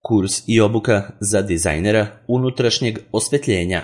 Kurs i obuka za dizajnera unutrašnjeg osvetljenja.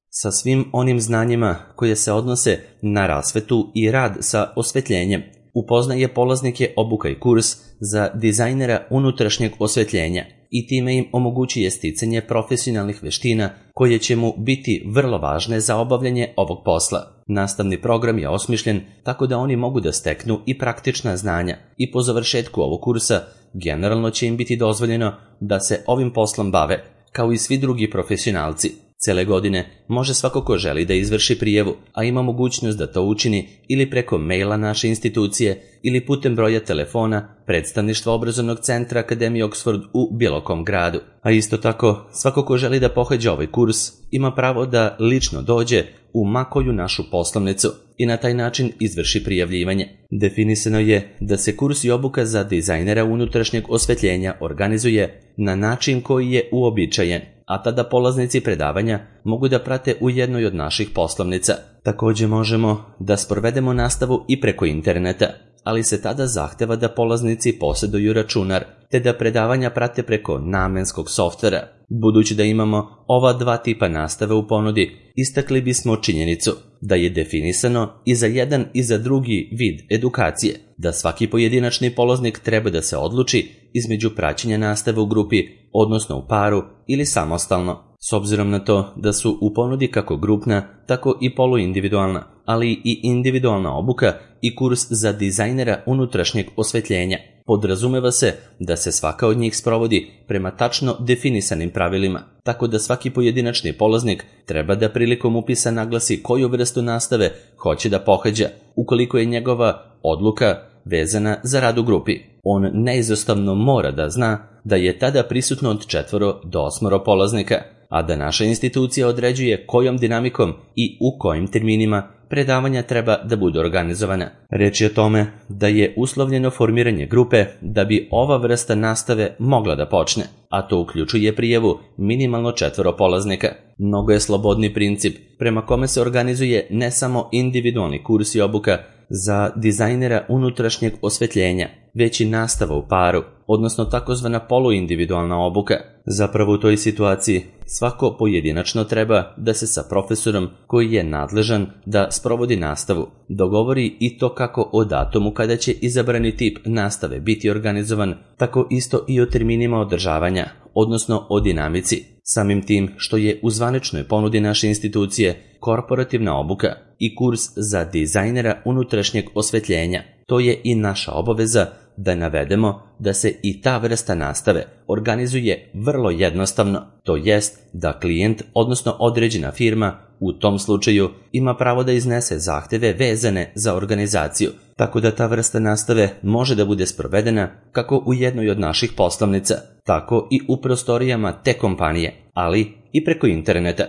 Sa svim onim znanjima koje se odnose na rasvetu i rad sa osvetljenjem, upoznaje polaznike obuka i kurs za dizajnera unutrašnjeg osvetljenja i time im omogućuje sticanje profesionalnih veština koje će mu biti vrlo važne za obavljanje ovog posla. Nastavni program je osmišljen tako da oni mogu da steknu i praktična znanja i po završetku ovog kursa generalno će im biti dozvoljeno da se ovim poslom bave, kao i svi drugi profesionalci. Cele godine može svako ko želi da izvrši prijavu, a ima mogućnost da to učini ili preko maila naše institucije ili putem broja telefona predstavništva obrazovnog centra Akademije Oxford u bilo kom gradu. A isto tako, svako ko želi da pohađa ovaj kurs ima pravo da lično dođe u makoju našu poslovnicu i na taj način izvrši prijavljivanje. Definisano je da se kurs i obuka za dizajnera unutrašnjeg osvetljenja organizuje na način koji je uobičajen, a tada polaznici predavanja mogu da prate u jednoj od naših poslovnica. Također možemo da sprovedemo nastavu i preko interneta, ali se tada zahteva da polaznici posjeduju računar, te da predavanja prate preko namenskog softvera. Budući da imamo ova dva tipa nastave u ponudi, istakli bismo činjenicu da je definisano i za jedan i za drugi vid edukacije, da svaki pojedinačni polaznik treba da se odluči između praćenja nastave u grupi, odnosno u paru ili samostalno. S obzirom na to da su u ponudi kako grupna, tako i poluindividualna, ali i individualna obuka i kurs za dizajnera unutrašnjeg osvetljenja, podrazumeva se da se svaka od njih sprovodi prema tačno definisanim pravilima, tako da svaki pojedinačni polaznik treba da prilikom upisa naglasi koju vrstu nastave hoće da pohađa, ukoliko je njegova odluka vezana za rad u grupi. On neizostavno mora da zna da je tada prisutno od 4 do 8 polaznika, a da naša institucija određuje kojom dinamikom i u kojim terminima predavanja treba da budu organizovana. Reč je o tome da je uslovljeno formiranje grupe da bi ova vrsta nastave mogla da počne, a to uključuje prijavu minimalno 4 polaznika. Mnogo je slobodni princip prema kome se organizuje ne samo individualni kurs i obuka za dizajnera unutrašnjeg osvetljenja, već i nastava u paru, odnosno takozvana poluindividualna obuka. Zapravo u toj situaciji svako pojedinačno treba da se sa profesorom koji je nadležan da sprovodi nastavu dogovori i to kako o datumu kada će izabrani tip nastave biti organizovan, tako isto i o terminima održavanja, odnosno o dinamici. Samim tim što je u zvaničnoj ponudi naše institucije korporativna obuka i kurs za dizajnera unutrašnjeg osvetljenja, to je i naša obaveza da navedemo da se i ta vrsta nastave organizuje vrlo jednostavno, to jest da klijent, odnosno određena firma, u tom slučaju ima pravo da iznese zahteve vezane za organizaciju, tako da ta vrsta nastave može da bude sprovedena kako u jednoj od naših poslovnica, tako i u prostorijama te kompanije, ali i preko interneta.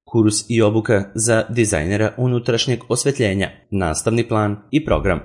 Kurs i obuka za dizajnera unutrašnjeg osvetljenja, nastavni plan i program.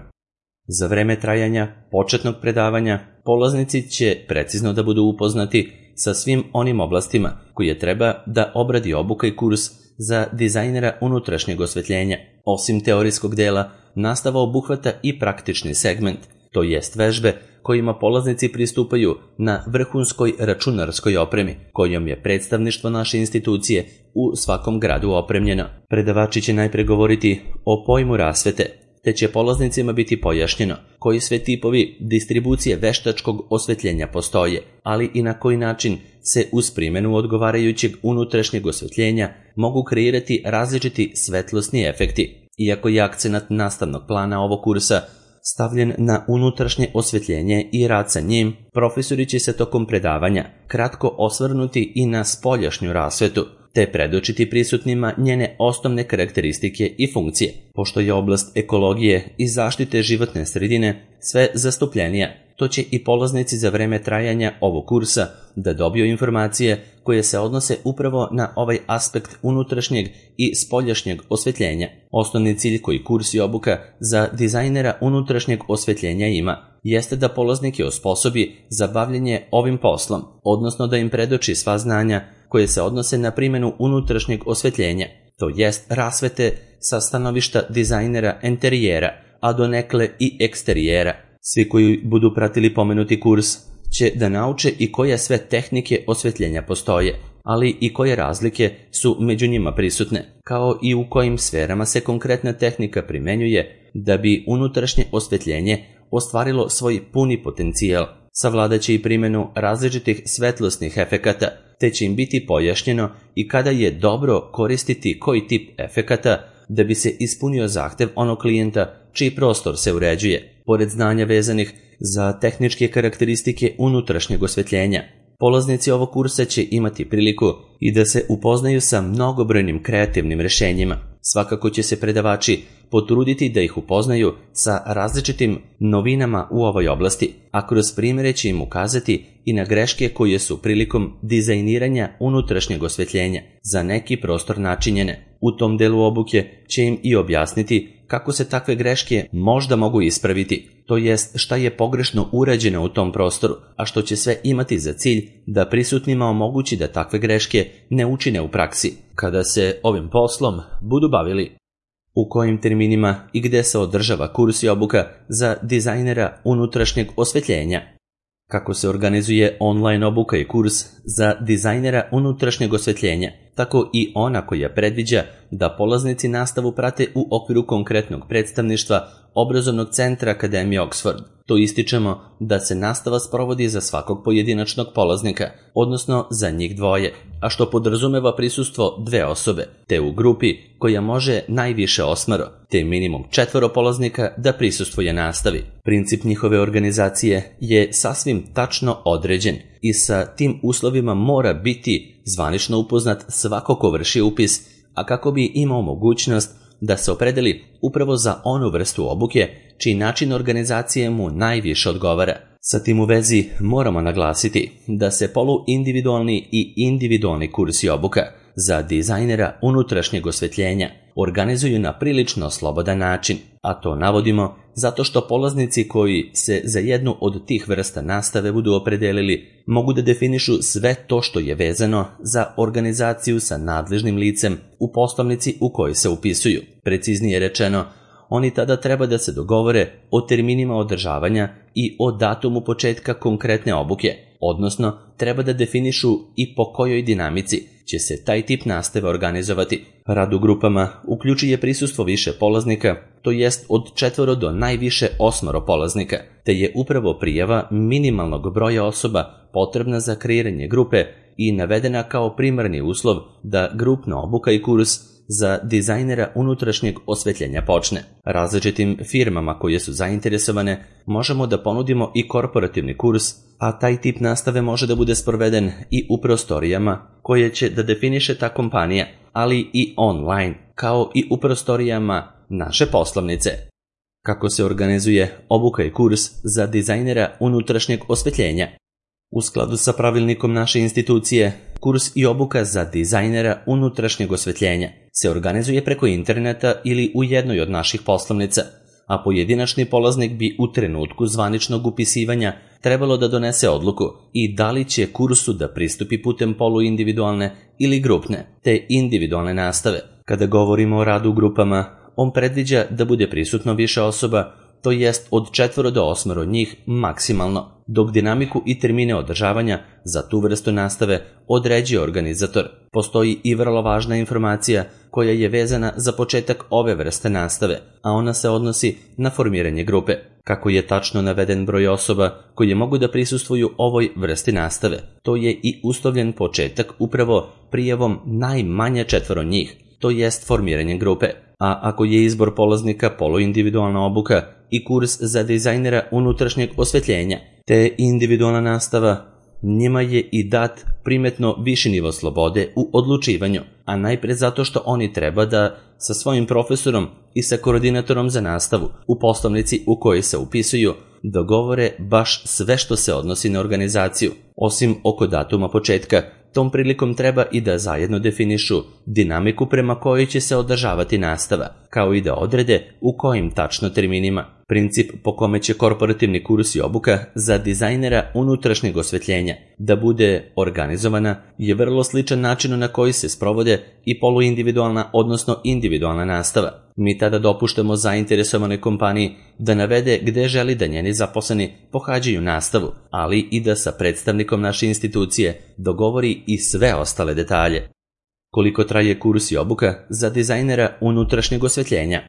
Za vreme trajanja početnog predavanja polaznici će precizno da budu upoznati sa svim onim oblastima koje treba da obradi obuka i kurs za dizajnera unutrašnjeg osvetljenja. Osim teorijskog dela, nastava obuhvata i praktični segment, to jest vežbe kojima polaznici pristupaju na vrhunskoj računarskoj opremi, kojom je predstavništvo naše institucije u svakom gradu opremljeno. Predavači će najpre govoriti o pojmu rasvete, te će polaznicima biti pojašnjeno koji sve tipovi distribucije veštačkog osvetljenja postoje, ali i na koji način se uz primjenu odgovarajućeg unutrašnjeg osvetljenja mogu kreirati različiti svetlosni efekti. Iako je akcenat nastavnog plana ovog kursa stavljen na unutrašnje osvetljenje i rad sa njim, profesori će se tokom predavanja kratko osvrnuti i na spoljašnju rasvetu, te predočiti prisutnima njene osnovne karakteristike i funkcije. Pošto je oblast ekologije i zaštite životne sredine sve zastupljenija, to će i polaznici za vreme trajanja ovog kursa da dobiju informacije koje se odnose upravo na ovaj aspekt unutrašnjeg i spoljašnjeg osvetljenja. Osnovni cilj koji kurs i obuka za dizajnera unutrašnjeg osvetljenja ima jeste da polaznike osposobi za bavljenje ovim poslom, odnosno da im predoči sva znanja koje se odnose na primjenu unutrašnjeg osvetljenja, to jest rasvete sa stanovišta dizajnera enterijera, a donekle i eksterijera. Svi koji budu pratili pomenuti kurs će da nauče i koje sve tehnike osvetljenja postoje, ali i koje razlike su među njima prisutne, kao i u kojim sferama se konkretna tehnika primenjuje da bi unutrašnje osvetljenje ostvarilo svoj puni potencijal. Savladaće i primjenu različitih svetlosnih efekata, te će im biti pojašnjeno i kada je dobro koristiti koji tip efekata da bi se ispunio zahtev onog klijenta čiji prostor se uređuje. Pored znanja vezanih za tehničke karakteristike unutrašnjeg osvetljenja, polaznici ovog kursa će imati priliku i da se upoznaju sa mnogobrojnim kreativnim rešenjima. Svakako će se predavači potruditi da ih upoznaju sa različitim novinama u ovoj oblasti, a kroz primjere će im ukazati i na greške koje su prilikom dizajniranja unutrašnjeg osvetljenja za neki prostor načinjene. U tom delu obuke će im i objasniti kako se takve greške možda mogu ispraviti, to jest šta je pogrešno urađeno u tom prostoru, a što će sve imati za cilj da prisutnima omogući da takve greške ne učine u praksi, kada se ovim poslom budu bavili. U kojim terminima i gde se održava kurs i obuka za dizajnera unutrašnjeg osvetljenja? Kako se organizuje online obuka i kurs za dizajnera unutrašnjeg osvetljenja, tako i ona koja predviđa da polaznici nastavu prate u okviru konkretnog predstavništva obrazovnog centra Akademije Oxford. To ističemo da se nastava sprovodi za svakog pojedinačnog polaznika, odnosno za njih dvoje, a što podrazumeva prisustvo 2 osobe, te u grupi koja može najviše 8, te minimum 4 polaznika da prisustvuje nastavi. Princip njihove organizacije je sasvim tačno određen i sa tim uslovima mora biti zvanično upoznat svako ko vrši upis, a kako bi imao mogućnost da se opredeli upravo za onu vrstu obuke čiji način organizacije mu najviše odgovara. Sa tim u vezi moramo naglasiti da se poluindividualni i individualni kursi obuka za dizajnera unutrašnjeg osvetljenja organizuju na prilično slobodan način, a to navodimo zato što polaznici koji se za jednu od tih vrsta nastave budu opredelili mogu da definišu sve to što je vezano za organizaciju sa nadležnim licem u poslovnici u kojoj se upisuju. Preciznije rečeno, oni tada treba da se dogovore o terminima održavanja i o datumu početka konkretne obuke, odnosno treba da definišu i po kojoj dinamici će se taj tip nastave organizovati. Rad u grupama uključuje prisustvo više polaznika, to jest od 4 do najviše 8 polaznika, te je upravo prijava minimalnog broja osoba potrebna za kreiranje grupe i navedena kao primarni uslov da grupna obuka i kurs za dizajnera unutrašnjeg osvetljenja počne. Različitim firmama koje su zainteresovane možemo da ponudimo i korporativni kurs, a taj tip nastave može da bude sproveden i u prostorijama koje će da definiše ta kompanija, ali i online, kao i u prostorijama naše poslovnice. Kako se organizuje obuka i kurs za dizajnera unutrašnjeg osvetljenja? U skladu sa pravilnikom naše institucije, kurs i obuka za dizajnera unutrašnjeg osvetljenja se organizuje preko interneta ili u jednoj od naših poslovnica, a pojedinačni polaznik bi u trenutku zvaničnog upisivanja trebalo da donese odluku i da li će kursu da pristupi putem poluindividualne ili grupne, te individualne nastave. Kada govorimo o radu u grupama, on predviđa da bude prisutno više osoba, to jest od 4 do 8 njih maksimalno, dok dinamiku i termine održavanja za tu vrstu nastave određuje organizator. Postoji i vrlo važna informacija koja je vezana za početak ove vrste nastave, a ona se odnosi na formiranje grupe. Kako je tačno naveden broj osoba koje mogu da prisustvuju ovoj vrsti nastave, to je i uslovljen početak upravo prijavom najmanje 4 njih, to jest formiranjem grupe. A ako je izbor polaznika poluindividualna obuka i kurs za dizajnera unutrašnjeg osvetljenja, te individualna nastava, njima je i dat primetno viši nivo slobode u odlučivanju, a najpre zato što oni treba da sa svojim profesorom i sa koordinatorom za nastavu u poslovnici u kojoj se upisuju dogovore baš sve što se odnosi na organizaciju, osim oko datuma početka. Tom prilikom treba i da zajedno definišu dinamiku prema kojoj će se održavati nastava, kao i da odrede u kojim tačno terminima. Princip po kome će korporativni kurs i obuka za dizajnera unutrašnjeg osvetljenja da bude organizovana je vrlo sličan načinu na koji se sprovode i poluindividualna, odnosno individualna nastava. Mi tada dopuštamo zainteresovanoj kompaniji da navede gde želi da njeni zaposleni pohađaju nastavu, ali i da sa predstavnikom naše institucije dogovori i sve ostale detalje. Koliko traje kurs i obuka za dizajnera unutrašnjeg osvetljenja?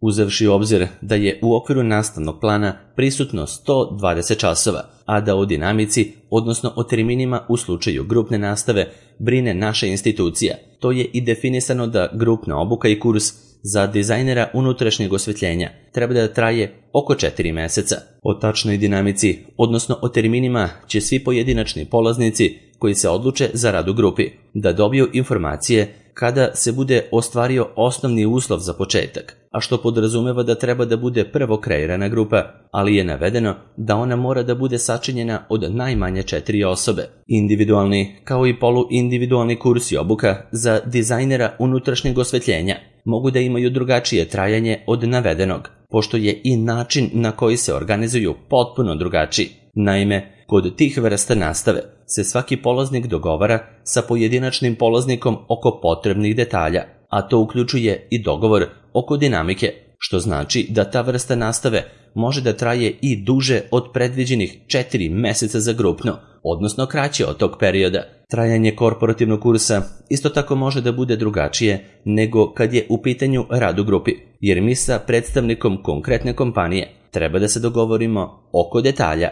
Uzevši u obzir da je u okviru nastavnog plana prisutno 120 časova, a da o dinamici, odnosno o terminima u slučaju grupne nastave, brine naša institucija, to je i definisano da grupna obuka i kurs za dizajnera unutrašnjeg osvetljenja treba da traje oko 4 meseca. O tačnoj dinamici, odnosno o terminima, će svi pojedinačni polaznici koji se odluče za rad u grupi da dobiju informacije kada se bude ostvario osnovni uslov za početak, a što podrazumeva da treba da bude prvo kreirana grupa, ali je navedeno da ona mora da bude sačinjena od najmanje 4 osobe. Individualni kao i poluindividualni kurs i obuka za dizajnera unutrašnjeg osvetljenja mogu da imaju drugačije trajanje od navedenog, pošto je i način na koji se organizuju potpuno drugačiji. Naime, kod tih vrsta nastave se svaki polaznik dogovara sa pojedinačnim polaznikom oko potrebnih detalja, a to uključuje i dogovor oko dinamike, što znači da ta vrsta nastave može da traje i duže od predviđenih 4 meseca za grupno, odnosno kraće od tog perioda. Trajanje korporativnog kursa isto tako može da bude drugačije nego kad je u pitanju rad u grupi, jer mi sa predstavnikom konkretne kompanije treba da se dogovorimo oko detalja.